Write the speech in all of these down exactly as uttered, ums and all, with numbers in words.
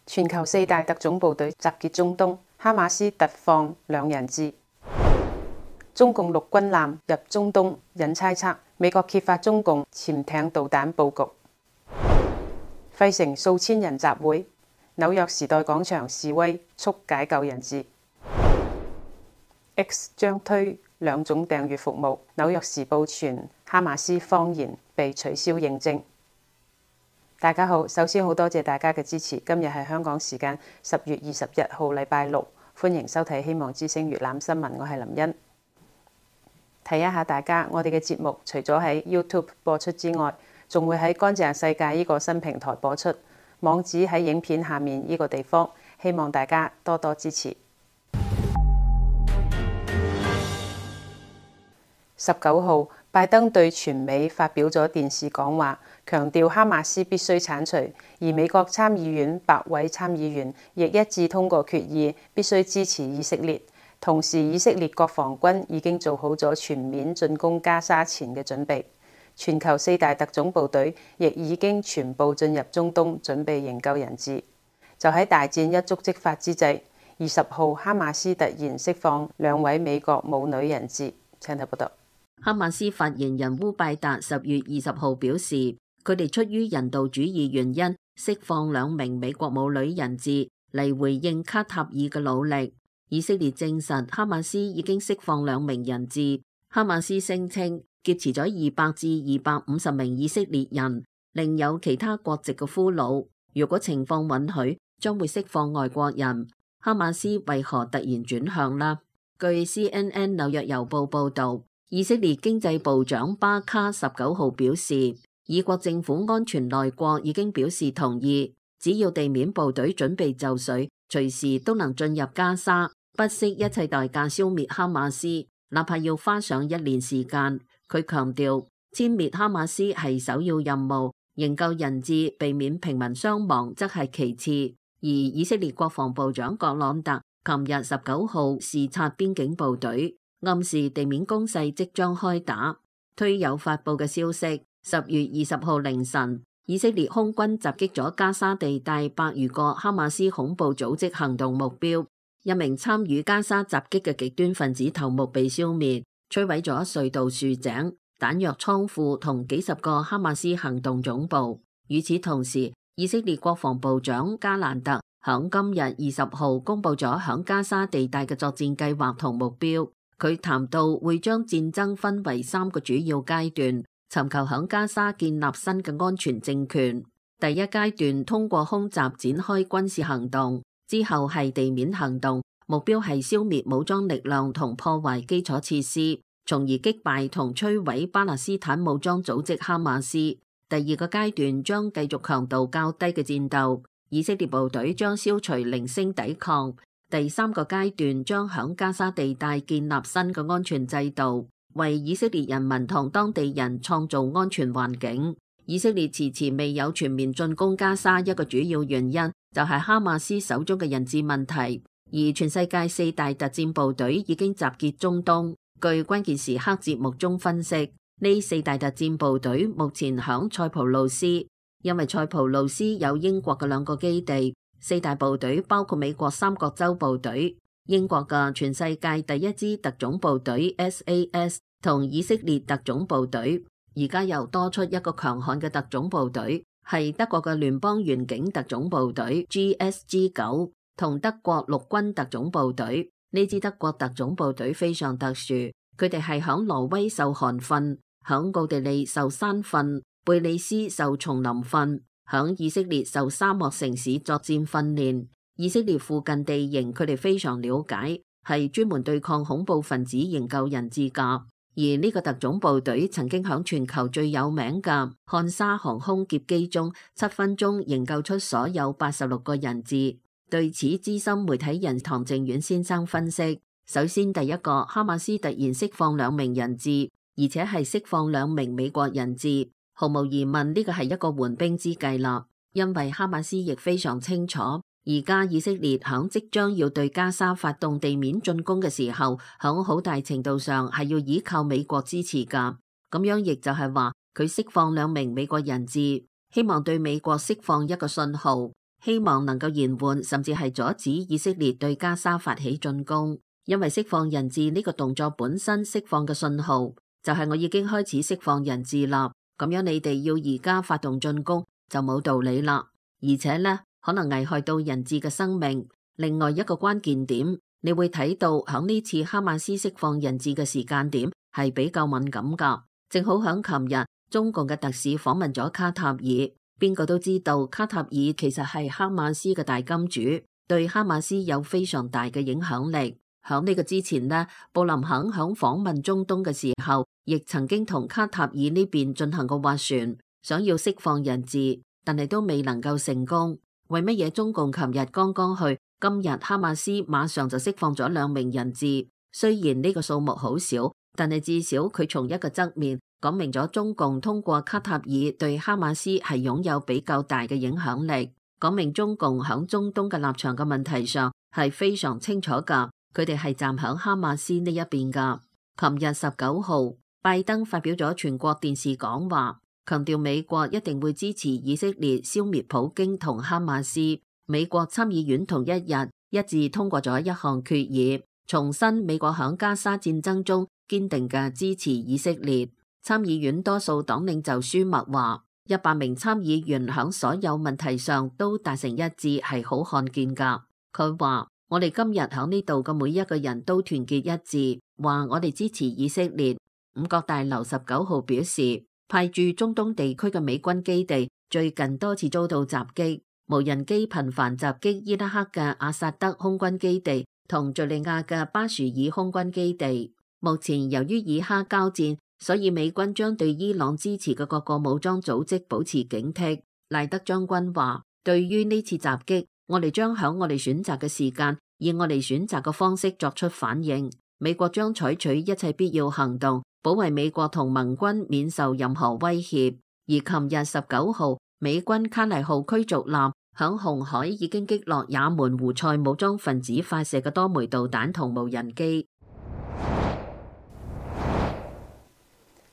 全球四大特種部隊集結中東，哈馬斯突放兩人質。中共陸軍艦入中東引猜測，美國揭發中共潛艇導彈佈局。費城數千人集會，紐約時代廣場示威促解救人質。X 將推兩種訂閱服務，紐約時報傳哈馬斯謊言被取消認證。大家好，首先好多謝大家嘅支持。今日係香港時間十月二十一號，禮拜六，歡迎收睇《希望之聲》粵覽新聞，我係林茵。提一下大家，我哋嘅節目除咗喺 YouTube 播出之外，仲會喺乾淨世界呢個新平台播出，網址喺影片下面呢個地方，希望大家多多支持。十九號，拜登對全美發表咗電視講話，強調哈馬斯必須剷除，而美國參議院百位參議員亦一致通過決議，必須支持以色列。同時，以色列國防軍已經做好咗全面進攻加沙前嘅準備。全球四大特種部隊亦已經全部進入中東，準備營救人質。就喺大戰一觸即發之際，二十號哈馬斯突然釋放兩位美國母女人質。請睇報道。哈馬斯發言人烏拜達十月二十號表示，佢哋出於人道主義原因釋放兩名美國母女人質嚟回應卡塔爾嘅努力。以色列證實哈馬斯已經釋放兩名人質。哈馬斯聲稱劫持咗二百至二百五十名以色列人，另有其他國籍嘅俘虜。如果情況允許，將會釋放外國人。哈馬斯為何突然轉向呢？據 C N N 紐約郵報報道，以色列經濟部長巴卡十九號表示，以國政府安全內閣已經表示同意，只要地面部隊準備就緒，隨時都能進入加沙，不惜一切代價消滅哈馬斯，哪怕要花上一年時間。佢強調，殲滅哈馬斯係首要任務，營救人質、避免平民傷亡則係其次。而以色列國防部長葛朗特琴日十九號視察邊境部隊，暗示地面攻勢即將開打。推有發布嘅消息，十月二十號凌晨，以色列空軍襲擊咗加沙地帶百餘個哈馬斯恐怖組織行動目標，一名參與加沙襲擊嘅極端分子頭目被消滅，摧毀咗隧道、豎井、彈藥倉庫同幾十個哈馬斯行動總部。與此同時，以色列國防部長加蘭特響今日二十號公布咗響加沙地帶嘅作戰計劃同目標。佢談到會將戰爭分為三個主要階段，尋求響加沙建立新嘅安全政權。第一階段通過空襲展開軍事行動，之後係地面行動，目標係消滅武裝力量同破壞基礎設施，從而擊敗同摧毀巴勒斯坦武裝組織哈馬斯。第二個階段將繼續強度較低嘅戰鬥，以色列部隊將消除零星抵抗。第三個階段將響加沙地帶建立新嘅安全制度，為以色列人民同當地人創造安全環境。以色列遲遲未有全面進攻加沙，一個主要原因就係哈馬斯手中嘅人質問題。而全世界四大特戰部隊已經集結中東。據關鍵時刻節目中分析，呢四大特戰部隊目前響塞浦路斯，因為塞浦路斯有英國嘅兩個基地。四大部隊包括美國三角洲部隊、英國嘅全世界第一支特種部隊 S A S 同以色列特種部隊，而家又多出一個強悍嘅特種部隊，係德國嘅聯邦遠景特種部隊 G S G 九同德國陸軍特種部隊。呢支德國特種部隊非常特殊，佢哋係響挪威受寒訓，響奧地利受山訓，貝里斯受叢林訓，響以色列受沙漠城市作戰訓練。以色列附近地形佢哋非常了解，係專門對抗恐怖分子營救人質噶。而呢個特種部隊曾經響全球最有名嘅漢莎航空劫機中，七分鐘營救出所有八十六個人質。對此，資深媒體人唐正遠先生分析，首先第一個，哈馬斯突然釋放兩名人質，而且係釋放兩名美國人質。毫無疑問，呢個係一個緩兵之計啦，因為哈馬斯亦非常清楚，而家以色列響即將要對加沙發動地面進攻嘅時候，響好大程度上係要依靠美國支持噶。咁樣亦就係話，佢釋放兩名美國人質，希望對美國釋放一個信號，希望能夠延緩甚至係阻止以色列對加沙發起進攻。因為釋放人質呢個動作本身釋放嘅信號，就係我已經開始釋放人質啦。咁樣你哋要而家發動進攻就冇道理啦，而且呢，可能危害到人質嘅生命。另外一個關鍵點，你會睇到響呢次哈馬斯釋放人質嘅時間點係比較敏感噶，正好響琴日中共嘅特使訪問咗卡塔爾，邊個都知道卡塔爾其實係哈馬斯嘅大金主，對哈馬斯有非常大嘅影響力。響呢個之前呢，布林肯響訪問中東嘅時候，亦曾經同卡塔爾呢邊進行過斡旋，想要釋放人質，但係都未能夠成功。為乜嘢中共琴日剛剛去，今日哈馬斯馬上就釋放咗兩名人質？雖然呢個數目好少，但係至少佢從一個側面講明咗中共通過卡塔爾對哈馬斯係擁有比較大嘅影響力，講明中共響中東嘅立場嘅問題上係非常清楚噶。佢哋係站響哈馬斯呢一邊噶。琴日十九號，拜登發表咗全國電視講話，強調美國一定會支持以色列消滅普京同哈馬斯。美國參議院同一日一致通過咗一項決議，重申美國響加沙戰爭中堅定嘅支持以色列。參議院多數黨領袖舒默話，一百名參議員響所有問題上都達成一致，係好罕見噶。佢話，我哋今日喺呢度嘅每一個人都團結一致，話我哋支持以色列。五角大樓十九號表示，派駐中東地區嘅美軍基地最近多次遭到襲擊，無人機頻繁襲擊伊拉克嘅阿薩德空軍基地同敘利亞嘅巴殊爾空軍基地。目前由於以哈交戰，所以美軍將對伊朗支持嘅各個武裝組織保持警惕。賴德將軍話，對於呢次襲擊，我哋將喺我哋選擇嘅時間，以我哋選擇嘅方式作出反應。美國將採取一切必要行動，保衛美國同盟軍免受任何威脅。而琴日十九號，美軍卡黎號驅逐艦響紅海已經擊落也門胡塞武裝分子發射嘅多枚導彈同無人機。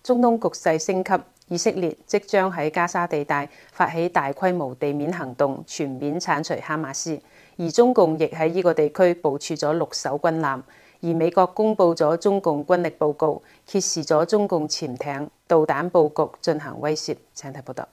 中東局勢升級，以色列即將喺加沙地帶發起大規模地面行動，全面剷除哈馬斯。而中共亦喺呢個地區部署咗六艘軍艦。而美國公布咗中共軍力報告，揭示咗中共潛艇、導彈佈局進行威懾。請睇報道。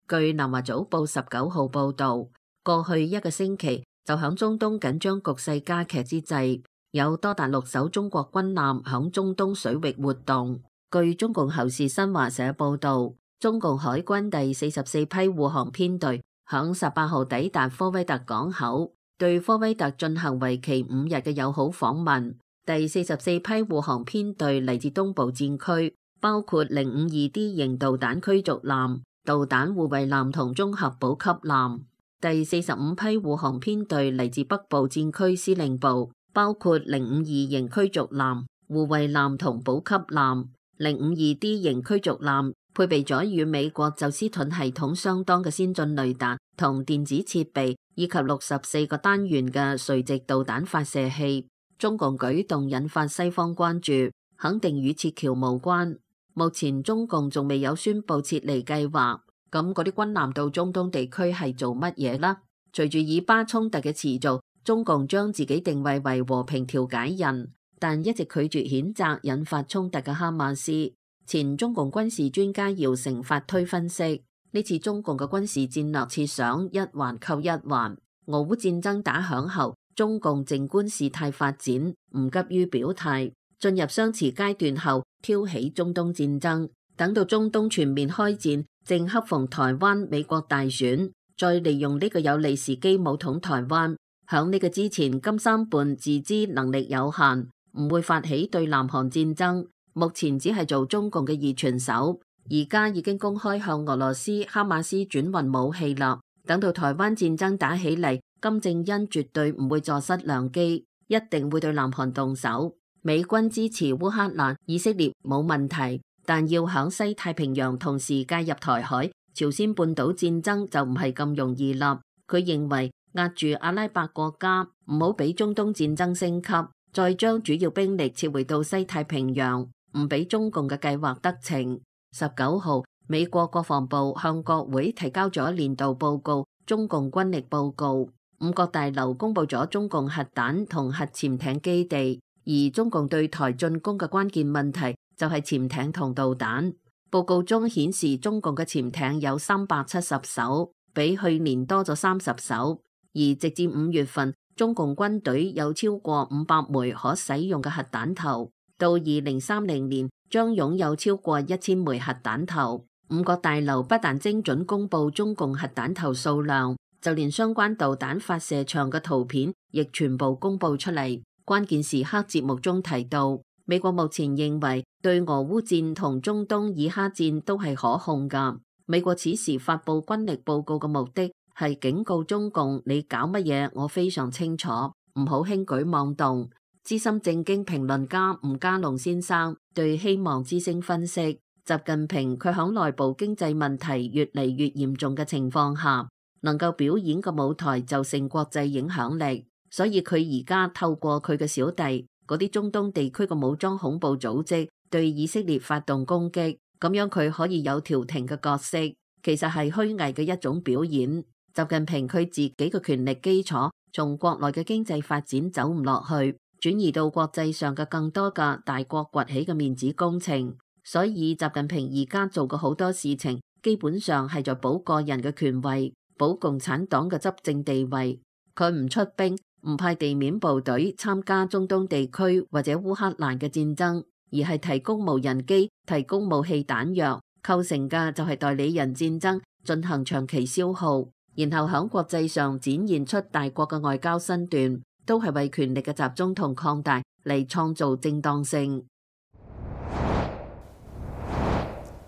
據南華早報十九號報導，過去一個星期就響中東緊張局勢加劇之際，有多達六艘中國軍艦響中東水域活動。據中共喉舌新華社報導，中共海軍第四十四批護航編隊響十八號抵達科威特港口，對科威特進行為期五日嘅友好訪問。第四十四批護航編隊嚟自東部戰區，包括零五二 D 型導彈驅逐艦、導彈護衛艦同綜合補給艦。第四十五批護航編隊嚟自北部戰區司令部，包括零五二型驅逐艦、護衛艦同補給艦。零五二 D 型驅逐艦配備咗與美國宙斯盾系統相當嘅先進雷達同電子設備，以及六十四個單元嘅垂直導彈發射器。中共舉動引發西方關注，肯定與撤僑無關。目前中共仲未有宣布撤離計劃。咁嗰啲軍艦到中東地區係做乜嘢啦？隨住以巴衝突嘅持續，中共將自己定位為和平調解人，但一直拒絕譴責引發衝突嘅哈馬斯。前中共軍事專家姚成發推分析，呢次中共嘅軍事戰略設想一環扣一環。俄烏戰爭打響後，中共靜觀事態發展，唔急於表態。進入相持階段後，挑起中東戰爭。等到中東全面開戰，正恰逢台灣美國大選，再利用呢個有利時機武統台灣。響呢個之前，金三胖自知能力有限，唔會發起對南韓戰爭。目前只係做中共嘅二傳手，而家已經公開向俄羅斯哈馬斯轉運武器啦。等到台灣戰爭打起嚟，金正恩絕對唔會坐失良機，一定會對南韓動手。美軍支持烏克蘭、以色列冇問題，但要響西太平洋同時介入台海、朝鮮半島戰爭就唔係咁容易啦。佢認為壓住阿拉伯國家，唔好俾中東戰爭升級，再將主要兵力撤回到西太平洋。唔俾中共嘅計劃得逞。十九號，美國國防部向國會提交咗年度報告，中共軍力報告。五角大樓公佈咗中共核彈同核潛艇基地，而中共對台進攻嘅關鍵問題就係潛艇同導彈。報告中顯示，中共嘅潛艇有三百七十艘，比去年多咗三十艘。而直至五月份，中共軍隊有超過五百枚可使用嘅核彈頭，到二零三零年將擁有超過一千枚核彈頭。五角大樓不但精準公佈中共核彈頭數量，就連相關導彈發射場嘅圖片亦全部公佈出嚟。關鍵時刻節目中提到，美國目前認為對俄烏戰同中東以哈戰都係可控㗎。美國此時發佈軍力報告嘅目的係警告中共，你搞乜嘢我非常清楚，唔好輕舉妄動。資深政經評論家吳家龍先生對希望之聲分析，習近平佢響內部經濟問題越嚟越嚴重嘅情況下，能夠表演嘅舞台就剩國際影響力，所以佢而家透過佢嘅小弟嗰啲中東地區嘅武裝恐怖組織對以色列發動攻擊，咁樣佢可以有調停嘅角色，其實係虛偽嘅一種表演。習近平佢自己嘅權力基礎從國內嘅經濟發展走唔落去，轉移到國際上嘅更多嘅大國崛起嘅面子工程。所以習近平而家做嘅好多事情，基本上係在保個人嘅權位，保共產黨嘅執政地位。佢唔出兵，唔派地面部隊參加中東地區或者烏克蘭嘅戰爭，而係提供無人機、提供武器彈藥，構成嘅就係代理人戰爭，進行長期消耗，然後喺國際上展現出大國嘅外交身段，都係為權力嘅集中同擴大嚟創造正當性。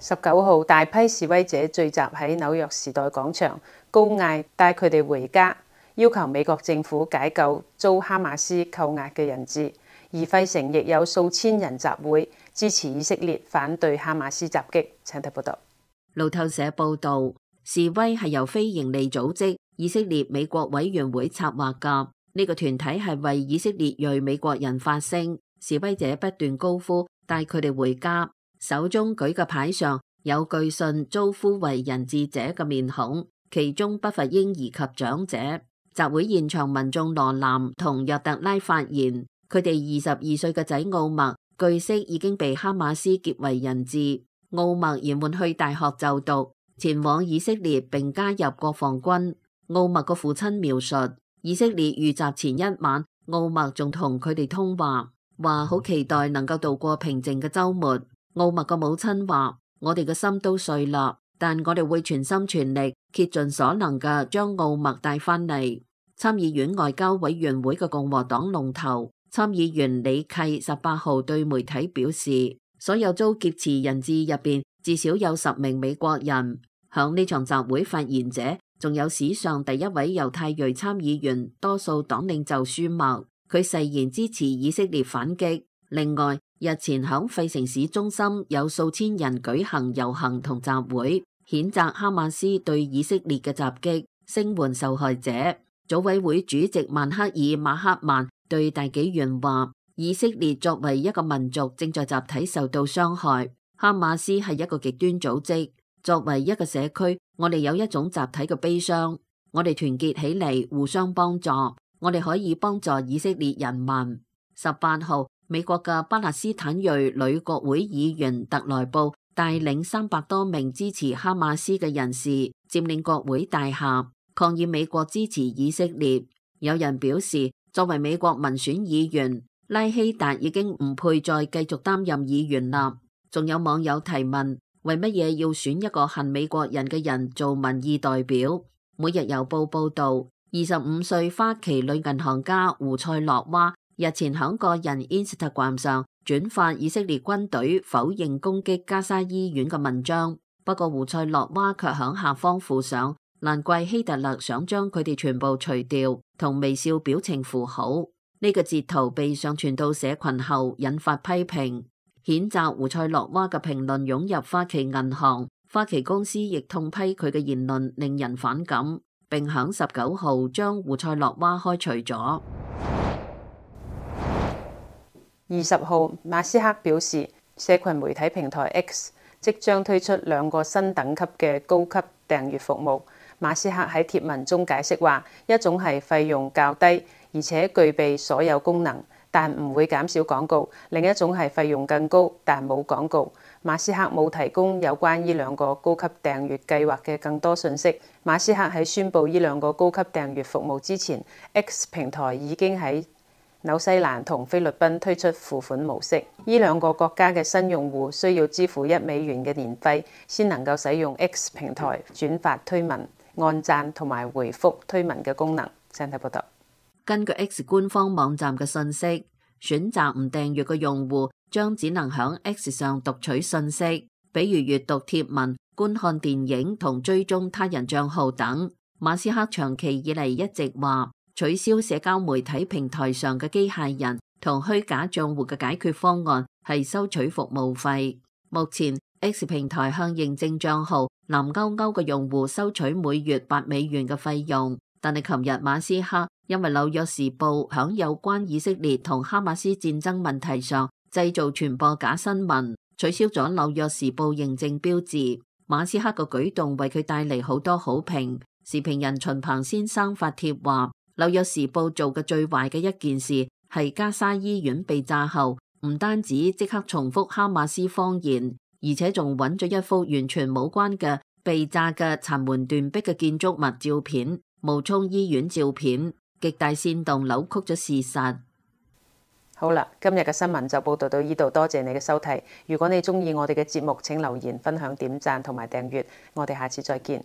十九號，大批示威者聚集喺紐約時代廣場，高嗌帶佢哋回家，要求美國政府解救遭哈馬斯扣押嘅人質。而費城亦有數千人集會支持以色列反對哈馬斯襲擊。請睇報道。路透社報道，示威係由非營利組織以色列美國委員會策劃㗎。呢個團體係為以色列裔美國人發聲。示威者不斷高呼帶佢哋回家，手中舉嘅牌上有據信遭呼為人質者嘅面孔，其中不乏嬰兒及長者。集會現場民眾羅南同約特拉發言，佢哋二十二歲嘅仔奧默據悉已經被哈馬斯劫為人質。奧默延緩去大學就讀，前往以色列並加入國防軍。奧默個父親描述，以色列遇襲前一晚，奧默仲同佢哋通話，話好期待能夠度過平靜嘅週末。奧默個母親話：我哋嘅心都碎啦，但我哋會全心全力竭盡所能嘅將奧默帶翻嚟。參議院外交委員會嘅共和黨龍頭參議員李契十八號對媒體表示，所有遭劫持人質入邊至少有十名美國人。響呢場集會發言者仲有史上第一位猶太裔參議員多數黨領袖舒默，佢誓言支持以色列反擊。另外，日前響費城市中心有數千人舉行遊行同集會，譴責哈馬斯對以色列嘅襲擊，聲援受害者。組委會主席曼克爾馬克曼對大紀元話：以色列作為一個民族正在集體受到傷害，哈馬斯係一個極端組織。作為一個社區，我哋有一種集體嘅悲傷，我哋團結起嚟，互相幫助，我哋可以幫助以色列人民。十八號，美國嘅巴勒斯坦裔女國會議員特萊布帶領三百多名支持哈馬斯嘅人士佔領國會大廈，抗議美國支持以色列。有人表示，作為美國民選議員，拉希達已經唔配再繼續擔任議員啦。仲有網友提問，為乜嘢要選一個恨美國人嘅人做民意代表？每日郵報報道，二十五歲花旗女銀行家胡塞洛娃日前喺個人 Instagram 上轉發以色列軍隊否認攻擊加沙醫院嘅文章，不過胡塞洛娃卻喺下方附上難怪希特勒想將佢哋全部除掉同微笑表情符號。呢、這個截圖被上傳到社群後引發批評，譴責胡塞洛娃嘅評論湧入花旗銀行，花旗公司亦痛批佢嘅言論令人反感，並響十九號將胡塞洛娃開除咗。二十號，馬斯克表示，社群媒體平台 X 即將推出兩個新等級嘅高級訂閱服務。馬斯克喺貼文中解釋話，一種係費用較低，而且具備所有功能，但唔會減少廣告；另一種係費用更高，但冇廣告。馬斯克冇提供有關呢兩個高級訂閱計劃嘅更多信息。馬斯克喺宣布呢兩個高級訂閱服務之前 ，X 平台已經喺紐西蘭同菲律賓推出付款模式。呢兩個國家嘅新用戶需要支付一美元嘅年費，先能夠使用 X 平台轉發推文、按讚同埋回覆推文嘅功能。請睇報道。根據 X 官方網站嘅信息，選擇唔訂閱嘅用戶將只能響 X 上讀取信息，比如閱讀貼文、觀看電影同追蹤他人賬號等。馬斯克長期以嚟一直話，取消社交媒體平台上嘅機械人同虛假賬戶嘅解決方案係收取服務費。目前 X 平台向認證賬號藍勾勾嘅用戶收取每月八美元嘅費用，但係琴日馬斯克因為紐約時報響有關以色列同哈馬斯戰爭問題上製造傳播假新聞，取消咗紐約時報認證標誌。馬斯克嘅舉動為佢帶嚟好多好評。時評人秦鵬先生發帖話，紐約時報做嘅最壞嘅一件事係加沙醫院被炸後，唔單止即刻重複哈馬斯謊言，而且仲揾咗一幅完全冇關嘅被炸嘅殘垣斷壁嘅建築物照片、冒充醫院照片，極大煽動扭曲咗事實。好啦，今日嘅新聞就報道到呢度，多謝你嘅收睇。如果你中意我哋嘅節目，請留言、分享、點讚同埋訂閱。我哋下次再見。